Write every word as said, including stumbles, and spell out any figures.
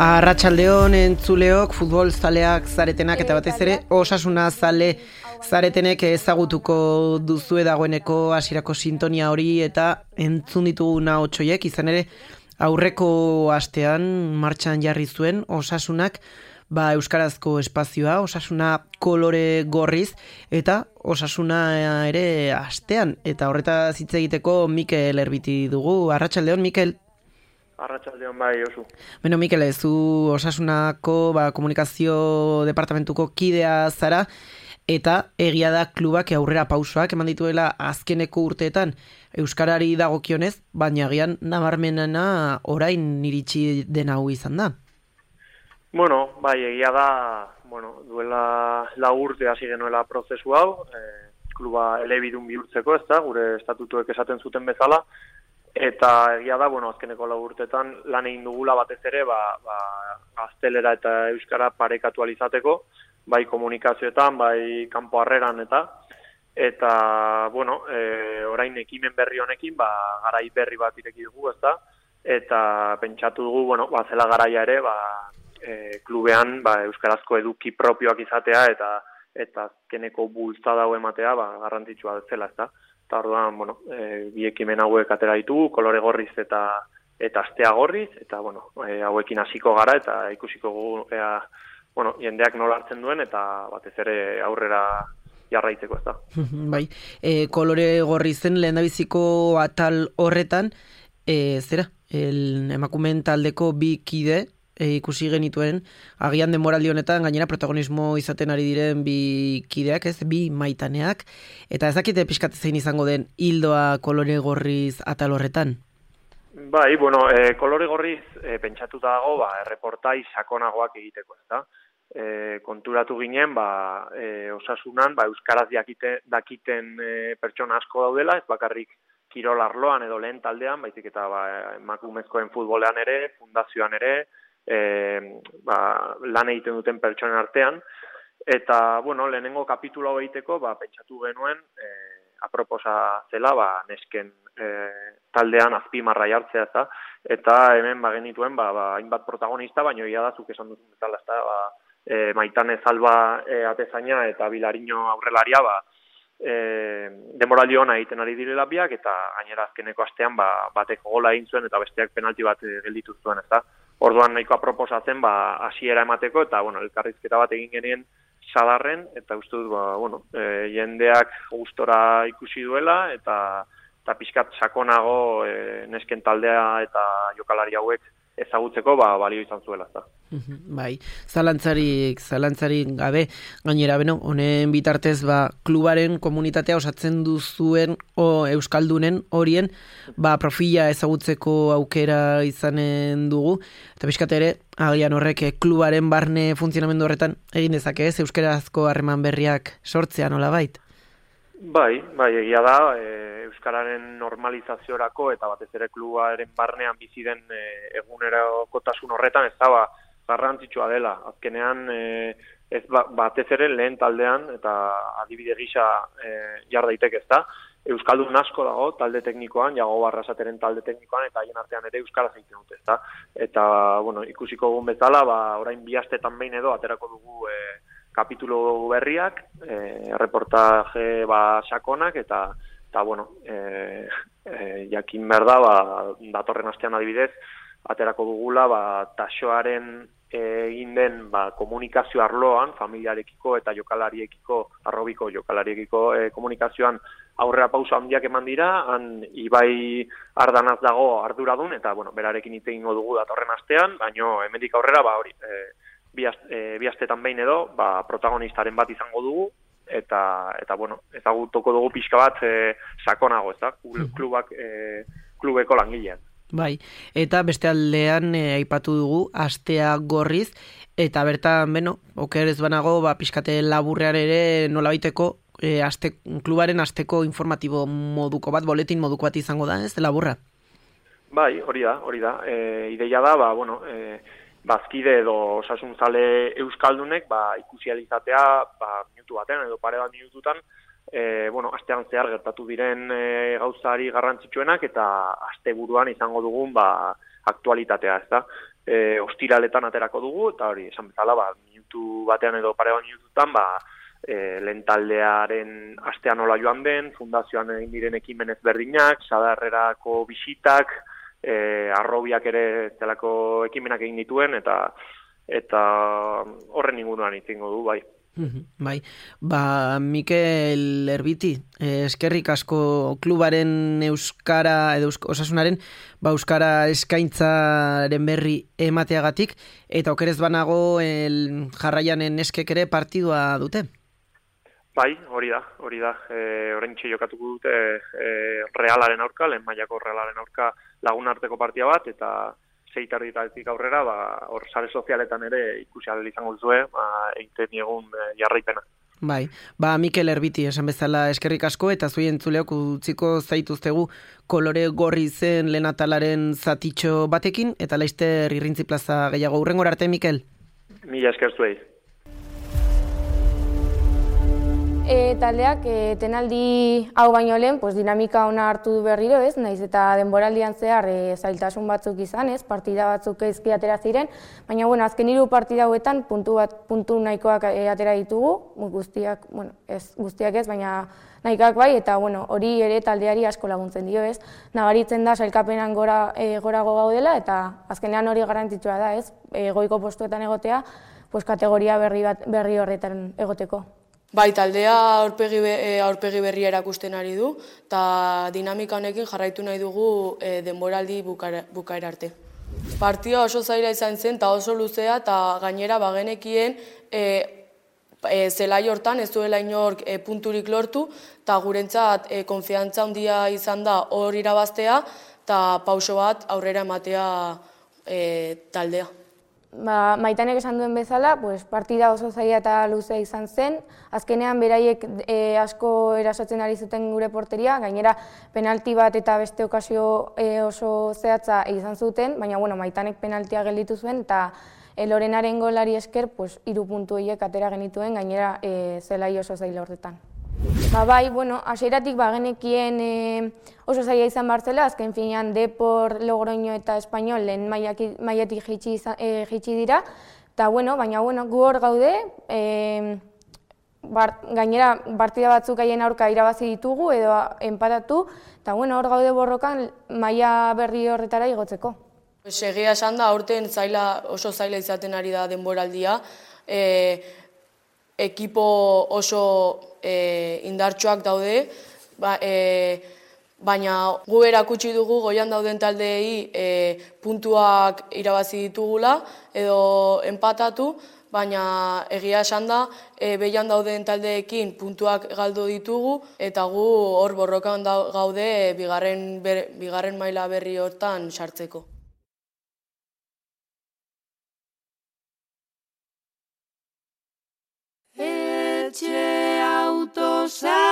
Arratsaldeon entzuleok, futbol zaleak zaretenak eta batez ere Osasuna zale zaretenek ezagutuko duzue dagoeneko hasierako sintonia hori eta entzun dituguna otsoiek, izan ere aurreko astean martxan jarri zuen Osasunak ba euskarazko espazioa, Osasuna kolore gorriz eta Osasuna ere astean, eta horretaz hitz egiteko Mikel Erbiti dugu. Arratsaldeon, Mikel. Arratsaldeon bai, Josu. Beno, Mikel, zu Osasunako ba, komunikazio departamentuko kidea zara, eta egia da klubak aurrera pausoak eman dituela azkeneko urteetan euskarari dagokionez, baina agian nabarmenena orain iritsi den hau izan da. Bueno, bai, egia da, bueno, duela lau urte hasi genuela prozesu hau, eh, kluba elebidun bihurtzeko, ez da, gure estatutuek esaten zuten bezala, eta egia da, bueno, azkeneko lau urtetan lan egin dugula batez ere, ba, ba, gaztelera eta euskara parekatu alizateko, bai komunikazioetan, bai kanpo harreran eta, eta, bueno, e, orain ekimen berri honekin, ba, garai berri bat ireki dugu, ez da, eta pentsatu dugu, bueno, ba, zela garaia ere, ba, e, klubean, ba, euskarazko eduki propioak izatea, eta eta azkeneko bultzada hau ematea, ba, garrantzitsua zela, ez da. Eta orduan, bueno, e, bi ekimen hauek atera ditugu, kolore gorriz eta eta astea gorriz, eta, bueno, e, hauekin hasiko gara, eta ikusiko gu, ea, bueno, jendeak nola hartzen duen, eta batez ere aurrera jarraitzeko, ez da. Bai, e, kolore gorrizen lehendabiziko atal horretan, e, zera, el emakumeen taldeko bi kide, E, ikusi genituen, agian denboraldi honetan gainera protagonismo izaten ari diren bi kideak, ez, bi maitaneak, eta ez dakite pixkat zein izango den hildoa kolore gorriz atal horretan? Bai, bueno, e, kolore gorriz e, pentsatuta dago, ba, erreportai sakonagoak egiteko, ez da? E, konturatu ginen, ba, e, Osasunan, ba, euskaraz dakite, dakiten e, pertsona asko daudela, ez bakarrik kirol arloan edo lehen taldean, baizik eta ba, emakumezkoen futbolean ere, fundazioan ere, E, ba, lan egiten duten pertsonen artean, eta bueno, lehenengo kapitulo egiteko ba, pentsatu genuen e, aproposa zela ba, nesken e, taldean azpimarra jartzea, eta, eta hemen ba, genituen ba, ba, hainbat protagonista, baina ia da zuk esan duzun bezala, ezta, ba, e, Maitane Zalba e, atezaina eta Bilariño aurrelaria ba, e, denboraldi ona egiten ari direla biak, eta gainera azkeneko astean ba, batek gola egin zuen eta besteak penalti bat e, gelditu zuen, ezta. Orduan nahikoa proposatzen ba hasiera emateko eta bueno, elkarrizketa bat egin genien sadarren eta uste dut ba bueno, e, jendeak gustora ikusi duela eta eta pixkat sakonago e, nesken taldea eta jokalari hauek ezagutzeko ba balio izan zuela, ezta. Bai, zalantzarik, zalantzarik gabe, gainera, beno, honen bitartez, ba, klubaren komunitatea osatzen duzuen o euskaldunen horien, ba, profila ezagutzeko aukera izanen dugu, eta pixkat ere, agian horrek klubaren barne funtzionamendu horretan egin dezake ez, euskarazko harreman berriak sortzea nolabait? Bai, bai, egia da, e, euskararen normalizaziorako eta batez ere klubaren barnean bizi den e, egunerokotasun horretan ez da, ba, garrantzitsua dela. Azkenean, e, ez ba, batez ere lehen taldean eta adibide gisa e, jar daiteke ez da. Euskaldun asko dago talde teknikoan, Jago Barrasateren talde teknikoan, eta haien artean ere euskaraz egiten dute, ez da. Eta, bueno, ikusiko egun bezala, ba, orain bi astetan behin edo aterako dugu e, kapitulu berriak, e, reportaje ba, sakonak, eta, eta bueno, e, e, jakin behar da, ba, datorren astean adibidez, aterako dugula, ba, taxoaren egin den ba, komunikazio arloan, familiarekiko eta jokalariekiko, arrobiko jokalariekiko e, komunikazioan aurrera pauso handiak eman dira, han Ibai Ardanaz dago arduradun, eta bueno, berarekin hitz egingo dugu datorren astean, baino hemendik aurrera, ba, hori, e, bi, e, bi astetan behin edo, ba, protagonistaren bat izango dugu, eta, eta bueno, ezagutuko dugu pixka bat e, sakonago, ez da, klubak, e, klubeko langilean. Bai, eta beste aldean e, aipatu dugu astea gorriz, eta bertan, beno, oker ez banago, ba, pixkate laburrean ere nolabaiteko e, aste, klubaren asteko informatibo moduko bat, boletin moduko bat izango da, ez, laburra? Bai, hori da, hori da. E, ideia da, ba, bueno, e, bazkide edo osasunzale euskaldunek, ba, ikusializatea, ba, minutu batean edo pare bat minututan, E, bueno, astean zehar gertatu diren e, gauzari garrantzitsuenak eta asteburuan izango dugun ba, aktualitatea, ez da. E, ostiraletan aterako dugu, eta hori, esan bezala, ba, minutu batean edo pare bat minututan, ba, e, lehen taldearen astean nola joan den, fundazioan egin diren ekimen ezberdinak, sadarrerako bisitak, e, arrobiak ere zelako ekimenak egin dituen, eta eta horren inguruan itzingo du, bai. Bai, ba, Mikel Erbiti, eskerrik asko klubaren euskara, edo osasunaren, ba, euskara eskaintzaren berri emateagatik, eta okerez banago el jarraianen eskek ere partidua dute. Bai, hori da, hori da. E, oraintxe jokatuko dute e, Realaren aurka, lehen mailako Realaren aurka lagun arteko partida bat, eta sei tarditatik aurrera, ba, hor sare sozialetan ere ikusi ahal izango duzue, ba, egiten egun e, jarraipena. Bai, ba, Mikel Erbiti, esan bezala eskerrik asko, eta zui entzuleok utziko zaituztegu kolore gorri zen lehen atalaren zatitxo batekin, eta laizter irrintzi plaza gehiago. Hurrengora arte, Mikel? Mila esker zuei. E, taldeak e, tenaldi hau baino lehen, pues, dinamika ona hartu du berriro, ez? Naiz eta denboraldian zehar e, zailtasun batzuk izan, ez? Partida batzuk ezki atera ziren, baina bueno, azken hiru partida hauetan puntu bat puntu nahikoak e, atera ditugu, guztiak, bueno, ez guztiak ez, baina nahikoak bai, eta bueno, hori ere taldeari asko laguntzen dio, ez? Nabaritzen da sailkapenan gora e, gorago gaudela, eta azkenean hori garrantzitsua da, ez? E, goiko postuetan egotea, pues, kategoria berri bat berri horretan egoteko. Bai, taldea aurpegi, aurpegi berria erakusten ari du, eta dinamika honekin jarraitu nahi dugu e, denboraldi bukaera, bukaera arte. Partida oso zaila izan zen, eta oso luzea, eta gainera bagenekien e, e, zelai hortan ez duela inork e, punturik lortu, eta gurentzat e, konfiantza handia izan da hor irabaztea, eta pauso bat aurrera ematea e, taldea. Ba, Maitanek esan duen bezala, pues, partida oso zaila eta luzea izan zen. Azkenean beraiek e, asko erasotzen ari zuten gure porteria, gainera penalti bat eta beste okazio e, oso zehatza izan zuten, baina bueno, Maitanek penaltia gelditu zuen, eta e, Lorenaren golari esker, pues, hiru puntu horiek atera genituen, gainera e, zelai oso zaila horretan. Ba, bai, bueno, hasieratik bagenekien e, oso zaila izan bartzela, azken finean Depor, Logroño eta Espainol lehen mailatik jaitsi e, dira, eta bueno, baina bueno, gu hor gaude, e, bar, gainera partida batzuk haien aurka irabazi ditugu edo enpatatu, eta bueno, hor gaude borrokan maila berri horretara igotzeko. Egia esan da, aurten zaila, oso zaila izaten ari da denboraldia, e, ekipo oso e, indartsuak daude, ba, e, baina gu erakutsi dugu goian dauden taldeei e, puntuak irabazi ditugula edo enpatatu, baina egia esan da, e, behian dauden taldeekin puntuak galdu ditugu, eta gu hor borrokan gaude bigarren, ber, bigarren maila berri hortan sartzeko. Etxe autosa